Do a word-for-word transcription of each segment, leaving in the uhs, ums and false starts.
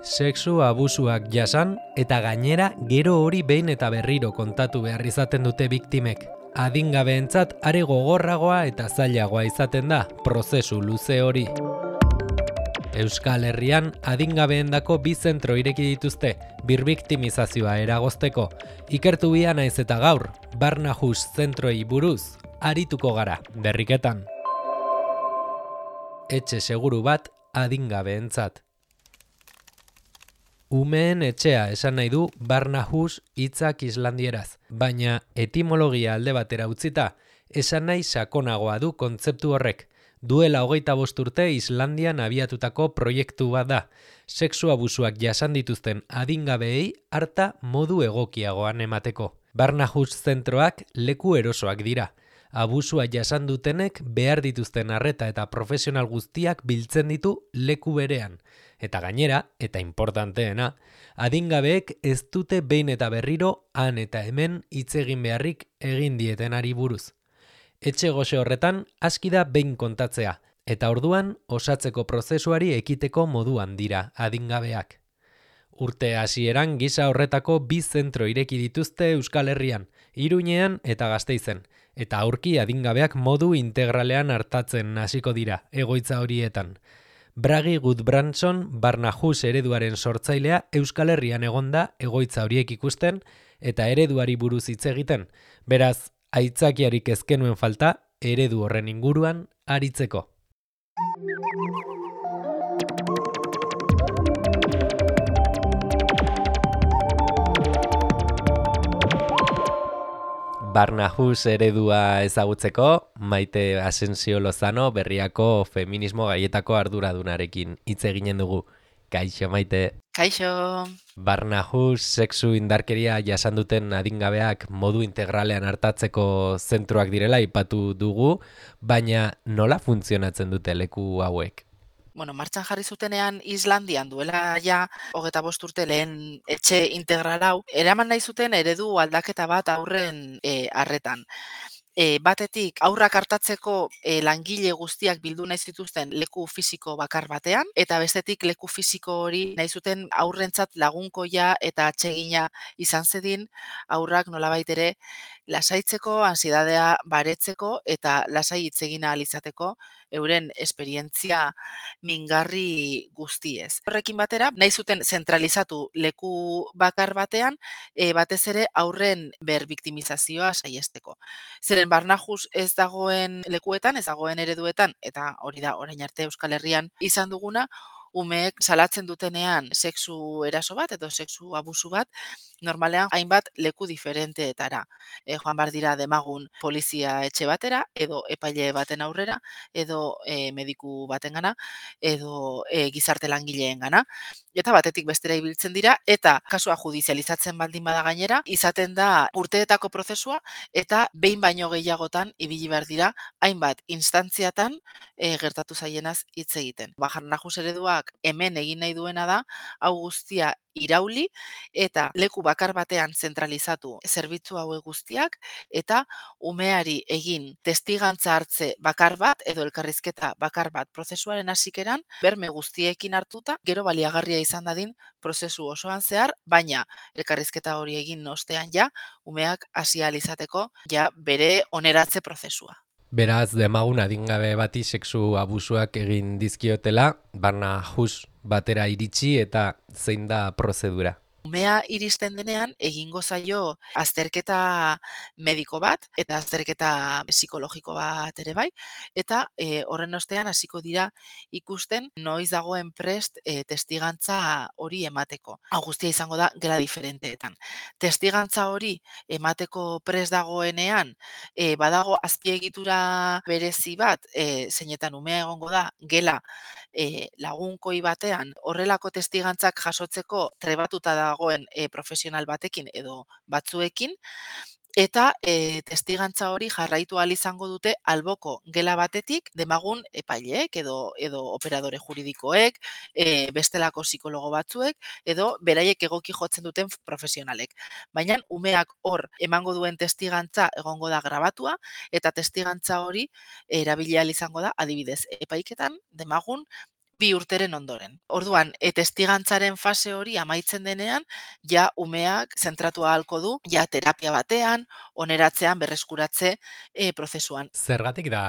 Sexu abusuak jasan eta gainera gero hori behin eta berriro kontatu behar izaten dute biktimek. Adingabeentzat are gogorragoa eta zailagoa izaten da prozesu luze hori. Euskal Herrian adingabeendako bi zentro ireki dituzte, birbiktimizazioa eragozteko. Ikertu bia naiz eta gaur, Barnahus zentroei buruz, arituko gara, berriketan. Etxe seguru bat adingabeentzat. Umeen etxea esan nahi du Barnahus hitzak islandieraz, baina etimologia alde batera utzita, esan nahi sakonagoa du kontzeptu horrek. Duela hogeita bost urte Islandian abiatutako proiektu bat da. Sexu abusuak jasan dituzten adingabeei harta modu egokiagoan emateko. Barnahus zentroak leku erosoak dira. Abusua jasan dutenek behar dituzten arreta eta profesional guztiak biltzen ditu leku berean. Eta gainera, eta importanteena, adingabeek ez dute behin eta berriro han eta hemen hitz egin beharrik egin dietenari buruz. Etxe goxe horretan aski da behin kontatzea, eta orduan osatzeko prozesuari ekiteko moduan dira adingabeak. Urte hasieran gisa horretako bi zentro ireki dituzte Euskal Herrian, Iruñean eta Gasteizen, eta aurki adingabeak modu integralean hartatzen hasiko dira egoitza horietan. Bragi Gudbranson, Barnahus ereduaren sortzailea, Euskal Herrian egonda egoitza horiek ikusten eta ereduari buruz hitz egiten. Beraz, aitzakiarik ezkenuen falta eredu horren inguruan aritzeko. Barnahus eredua ezagutzeko, Maite Asensio Lozano berriako feminismo gaietako arduradunarekin hitz eginen dugu. Kaixo, Maite. Kaixo. Barnahus sexu indarkeria jasan duten adingabeak modu integralean hartatzeko zentroak direla aipatu dugu, baina nola funtzionatzen dute leku hauek? Bueno, martxan jarri zutenean Islandian duela ja hogeta bost urte lehen etxe integral hau, eraman nahi zuten eredu aldaketa bat aurren e, arretan. E, batetik aurrak hartatzeko e, langile guztiak bildu nahi zituzten leku fisiko bakar batean, eta bestetik leku fisiko hori nahi zuten aurrentzat lagunkoia eta atsegina izan zedin, aurrak nolabait ere lasaitzeko, ansiedadea baretzeko eta lasai hitz egin ahal izateko euren esperientzia mingarri guztiez. Horrekin batera, nahi zuten zentralizatu leku bakar batean, e, batez ere aurren berbiktimizazioa saiesteko. Zeren Barnahus ez dagoen lekuetan, ez dagoen ereduetan, eta hori da orain arte Euskal Herrian izan duguna, umeek salatzen dutenean sexu eraso bat edo sexu abusu bat, normalean hainbat leku diferenteetara. E, joan bar dira demagun polizia etxe batera, edo epaile baten aurrera, edo e, mediku batengana, edo e, gizarte langileengana. Eta batetik bestera ibiltzen dira, eta kasua judizializatzen baldin bada gainera, izaten da urteetako prozesua, eta behin baino gehiagotan ibili behar dira, hainbat instantziatan e, gertatu zaienaz hitz egiten. Barnahus ereduak hemen egin nahi duena da, hau guztia irauli eta leku bakar batean zentralizatu zerbitzu hauek guztiak eta umeari egin testigantza hartze bakar bat edo elkarrizketa bakar bat prozesuaren hasikeran berme guztiekin hartuta gero baliagarria izan dadin prozesu osoan zehar, baina elkarrizketa hori egin ostean ja umeak hasi ahal izateko ja bere oneratze prozesua. Beraz, demagun adingabe bati sexu abusuak egin dizkiotela, Barnahus batera iritsi eta zein da prozedura? Umea iristen denean egingo zaio azterketa mediko bat eta azterketa psikologiko bat ere bai, eta e, horren ostean hasiko dira ikusten noiz dagoen prest e, testigantza hori emateko. Hau guztia izango da gela diferenteetan. Testigantza hori emateko prest dagoenean, e, badago azpiegitura berezi bat, e, zeinetan umea egongo da gela e, lagunkoi batean, horrelako testigantzak jasotzeko trebatuta dagoen e, profesional batekin edo batzuekin, eta e, testigantza hori jarraitu ahal izango dute alboko gela batetik demagun epaileek edo edo operadore juridikoek, e, bestelako psikologo batzuek edo beraiek egoki jotzen duten profesionalek. Baina umeak hor emango duen testigantza egongo da grabatua eta testigantza hori erabili ahal izango da adibidez epaiketan demagun bi urteren ondoren. Orduan, e, testigantzaren fase hori amaitzen denean, ja umeak zentratu ahalko du, ja terapia batean, oneratzean, berreskuratze e, prozesuan. Zergatik da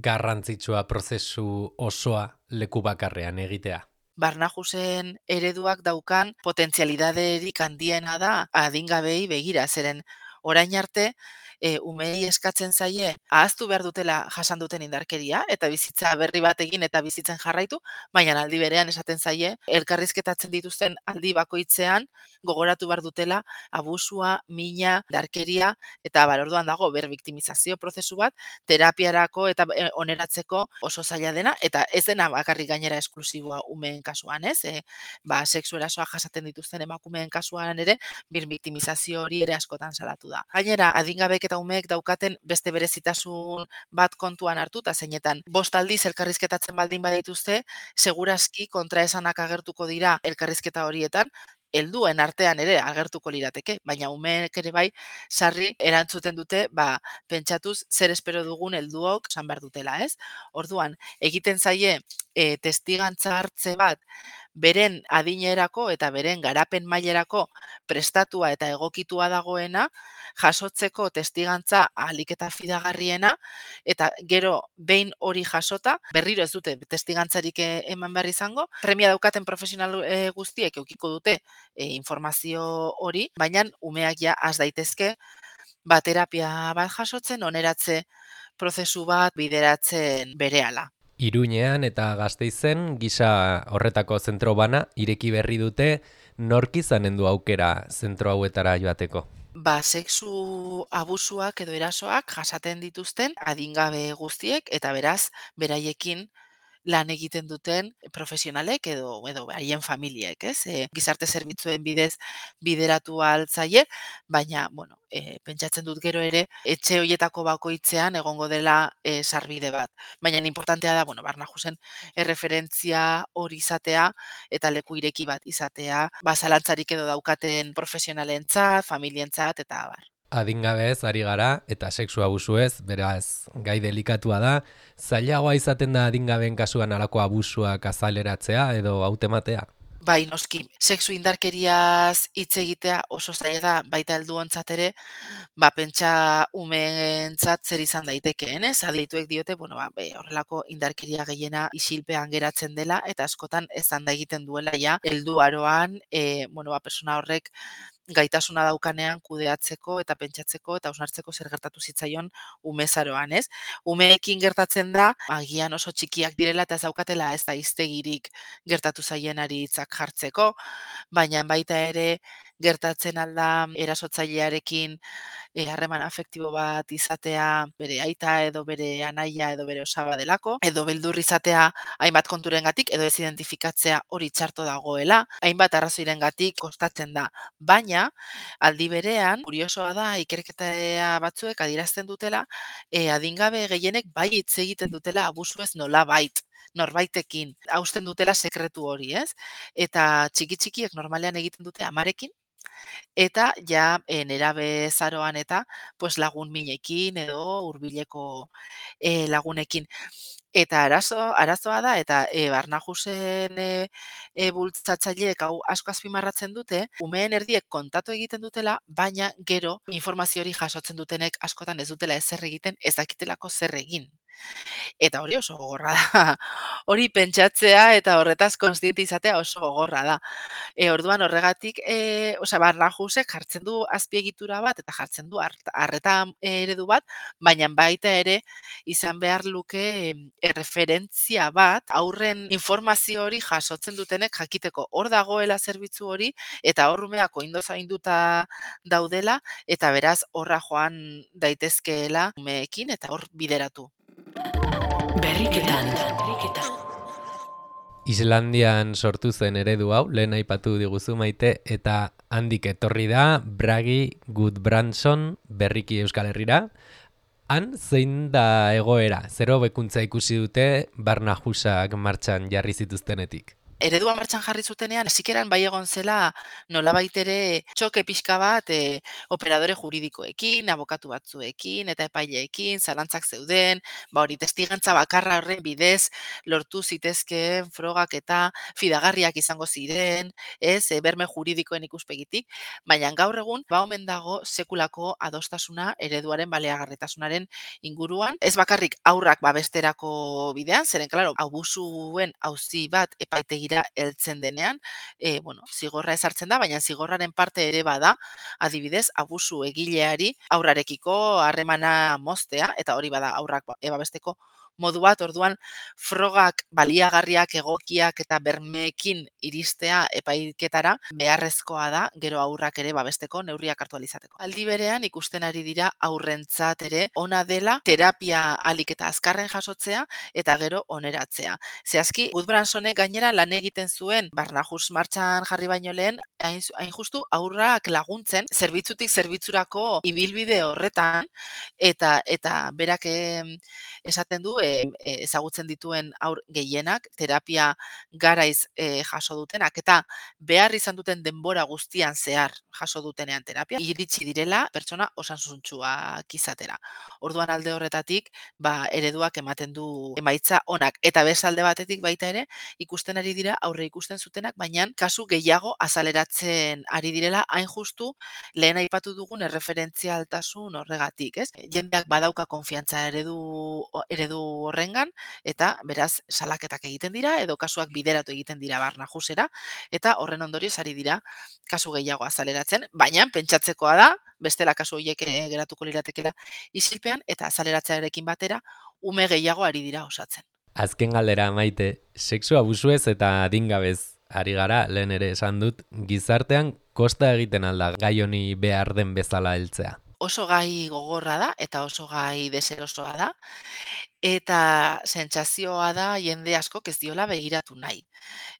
garrantzitsua prozesu osoa leku bakarrean egitea? Barnahusen ereduak daukan potentzialidaderik handiena da adingabei begira, zeren orain arte e, umeei eskatzen zaie ahaztu behar dutela jasan duten indarkeria eta bizitza berri bat egin eta bizitzen jarraitu, baina aldi berean esaten zaie elkarrizketatzen dituzten aldi bakoitzean gogoratu behar dutela abusua, mina, indarkeria eta bar orduan dago berbiktimizazio prozesu bat terapiarako eta e, oneratzeko oso zaila dena eta ez dena bakarrik gainera esklusiboa umeen kasuan, ez? E, ba, sexu erasoa jasaten dituzten emakumeen kasuan ere birbiktimizazio hori ere askotan salatu da. Gainera, adingabek eta umeek daukaten beste berezitasun bat kontuan hartuta zeinetan bost aldiz elkarrizketatzen baldin badituzte, segurazki kontraesanak agertuko dira elkarrizketa horietan, helduen artean ere agertuko lirateke, baina umeek ere bai sarri erantzuten dute, ba, pentsatuz zer espero dugun helduok esan behar dutela, ez? Orduan, egiten zaie e, testigantza hartze bat beren adinerako eta beren garapen mailerako prestatua eta egokitua dagoena, jasotzeko testigantza ahalik eta fidagarriena, eta gero behin hori jasota, berriro ez dute testigantzarik e, eman behar izango, premia daukaten profesional e, guztiek eukiko dute e, informazio hori, baina umeak ja has daitezke ba, terapia bat jasotzen, oneratze prozesu bat bideratzen berehala. Iruñean eta Gasteizen gisa horretako zentro bana ireki berri dute, nork izanen du aukera zentro hauetara joateko? Ba, sexu abusuak edo erasoak jasaten dituzten adingabe guztiek eta beraz beraiekin lan egiten duten profesionalek edo edo haien familiek, ez? E, gizarte zerbitzuen bidez bideratu altzaie, baina bueno, e, pentsatzen dut gero ere etxe hoietako bakoitzean egongo dela e, sarbide bat. Baina inportantea da, bueno, Barnahusen erreferentzia hori izatea eta leku ireki bat izatea, ba zalantzarik edo daukaten profesionalentzat, familientzat eta abar. Adingabez ari gara eta sexu abusuez, beraz gai delikatua da, zailagoa izaten da adingabeen kasuan halako abusuak azaleratzea edo hautematea? Bai, noski, sexu indarkeriaz hitz egitea oso zaila da, baita helduontzat ere, ba, pentsa umeentzat zer izan daitekeen, ez? Adituek diote, bueno, ba, be, horrelako indarkeria gehiena isilpean geratzen dela, eta askotan ezan da egiten duela ja, helduaroan, e, bueno, ba, persona horrek gaitasuna daukanean kudeatzeko eta pentsatzeko eta hausnartzeko zer gertatu zitzaion umezaroan, ez? Umeekin gertatzen da, agian oso txikiak direla eta ez daukatela ez da hiztegirik gertatu zaienari hitzak jartzeko, baina baita ere gertatzen alda erasotzailearekin harreman afektibo bat izatea bere aita edo bere anaia edo bere osaba delako, edo beldur izatea hainbat konturengatik edo ez identifikatzea hori txarto dagoela, hainbat arrazoirengatik kostatzen da. Baina, aldi berean, kuriosoa da, ikerketa batzuek adierazten dutela, e, adingabe gehienek bai hitz egiten dutela abusuez nola bait, norbaitekin, hausten dutela sekretu hori, ez? Eta txiki-txikiek normalean egiten dute amarekin, eta ja e, nerabe zaroan eta pues, lagun minekin edo hurbileko e, lagunekin. Eta arazo, arazoa da, eta e, Barnahusen e, e, bultzatzaileek hau asko azpimarratzen dute, umeen erdiek kontatu egiten dutela, baina gero informazio hori jasotzen dutenek askotan ez dutela ezer egiten, ez dakitelako zer egin. Eta hori oso gogorra da. Hori pentsatzea eta horretaz kontziente izatea oso gogorra da. E, orduan horregatik, e, osea, Barnahusek jartzen du azpiegitura bat eta jartzen du arreta eredu bat, baina baita ere izan behar luke erreferentzia bat aurren informazio hori jasotzen dutenek jakiteko hor dagoela zerbitzu hori eta hor umeak oindo zainduta daudela eta beraz horra joan daitezkeela umeekin eta hor bideratu. Berriketan. Islandian sortu zen eredu hau, lehen aipatu diguzu Maite, eta handik etorri da Bragi Gudbrandsson berriki Euskal Herrira. Han zein da egoera, zer hobekuntza ikusi dute Barnahusak martxan jarri zituztenetik? eredua martxan jarri zutenean, zikeran bai egon zela nolabait ere txoke pixka bat e, operadore juridikoekin, abokatu batzuekin eta epaileekin, zalantzak zeuden, ba hori testigantza bakarra horren bidez lortu zitezkeen frogak eta fidagarriak izango ziren, ez, e, berme juridikoen ikuspegitik, baina gaur egun ba omen dago sekulako adostasuna ereduaren baliagarritasunaren inguruan, ez bakarrik aurrak babesterako bidean, zeren claro, abusuen auzi bat epaitegira heltzen denean, e, bueno, zigorra ezartzen da, baina zigorraren parte ere bada, adibidez, abusu egileari aurrarekiko harremana moztea, eta hori bada aurrak ebabesteko modu bat, orduan frogak baliagarriak egokiak eta bermeekin iristea epaiketara beharrezkoa da gero aurrak ere babesteko neurriak hartu alizateko. Aldi berean ikusten ari dira aurrentzat ere ona dela terapia alik eta azkarren jasotzea eta gero oneratzea. Zehazki, Gudbransonek gainera lan egiten zuen Barnahus martxan jarri baino lehen, hain, hain justu aurrak laguntzen zerbitzutik zerbitzurako ibilbide horretan eta eta berak esaten du e, ezagutzen dituen aur gehienak terapia garaiz e, jaso dutenak eta behar izan duten denbora guztian zehar jaso dutenean terapia iritsi direla pertsona osasuntsuak izatera. Orduan alde horretatik ba ereduak ematen du emaitza onak eta besalde batetik baita ere ikusten ari dira aurre ikusten zutenak baina kasu gehiago azaleratzen ari direla hain justu lehen aipatu dugun erreferentzialtasun horregatik, ez? Jendeak badauka konfiantza eredu eredu horrengan eta beraz salaketak egiten dira edo kasuak bideratu egiten dira Barnahusera eta horren ondorioz ari dira kasu gehiago azaleratzen, baina pentsatzekoa da bestela kasu horiek geratuko liratekela isilpean eta azaleratzearekin batera ume gehiago ari dira osatzen. Azken galdera Maite, sexu abusuez eta adingabez ari gara, lehen ere esan dut, gizartean kosta egiten alda gai honi behar den bezala heltzea. Oso gai gogorra da eta oso gai deserosoa da eta sentsazioa da jende askok ez diola begiratu nahi.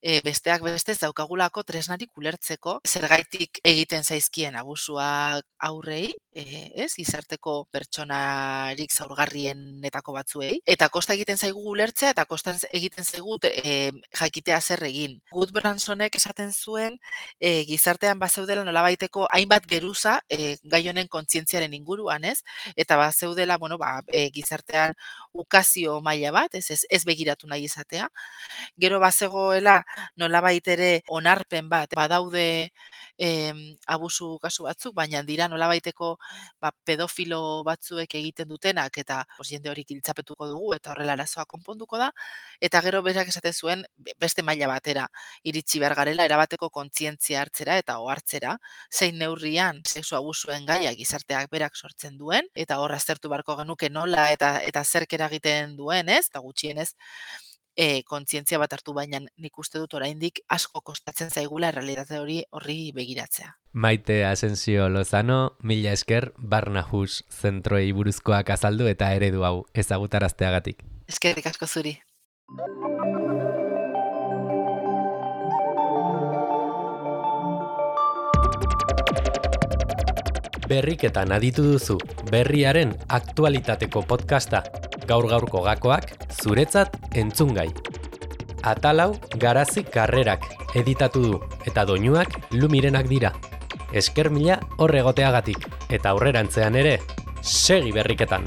E, besteak bestez daukagulako tresnarik ulertzeko zergaitik egiten zaizkien abusuak aurrei, e, ez, gizarteko pertsonarik zaurgarrienetako batzuei, eta kosta egiten zaigu ulertzea eta kosta egiten zaigu e, jakitea zer egin. Gudbransonek esaten zuen e, gizartean bazeudela nolabaiteko hainbat geruza e, gai honen kontzientziaren inguruan, ez? Eta bazeudela, bueno, ba, e, gizartean ukazio maila bat, ez, ez, ez begiratu nahi izatea. Gero bazegoela nolabait ere onarpen bat badaude eh, abusu kasu batzuk, baina dira nolabaiteko ba, pedofilo batzuek egiten dutenak eta pues, jende hori giltzapetuko dugu eta horrela arazoa konponduko da. Eta gero berak esaten zuen beste maila batera iritsi behar garela erabateko kontzientzia hartzera eta ohartzera, zein neurrian sexu abusuen gaia gizarteak berak sortzen duen eta hor aztertu beharko genuke nola eta eta zerk eragiten duen, ez? Eta gutxienez E, kontzientzia bat hartu baina nik uste dut oraindik asko kostatzen zaigula errealitate hori horri begiratzea. Maite Asensio Lozano, mila esker Barnahus zentroei buruzkoak azaldu eta eredu hau ezagutarazteagatik. Eskerrik asko zuri. Berriketan aditu duzu berriaren aktualitateko podcasta. Gaur gaurko gakoak zuretzat entzungai. Atalau Garazi Karrerak editatu du eta doinuak Lumirenak dira. Esker mila hor egoteagatik eta aurrerantzean ere segi berriketan.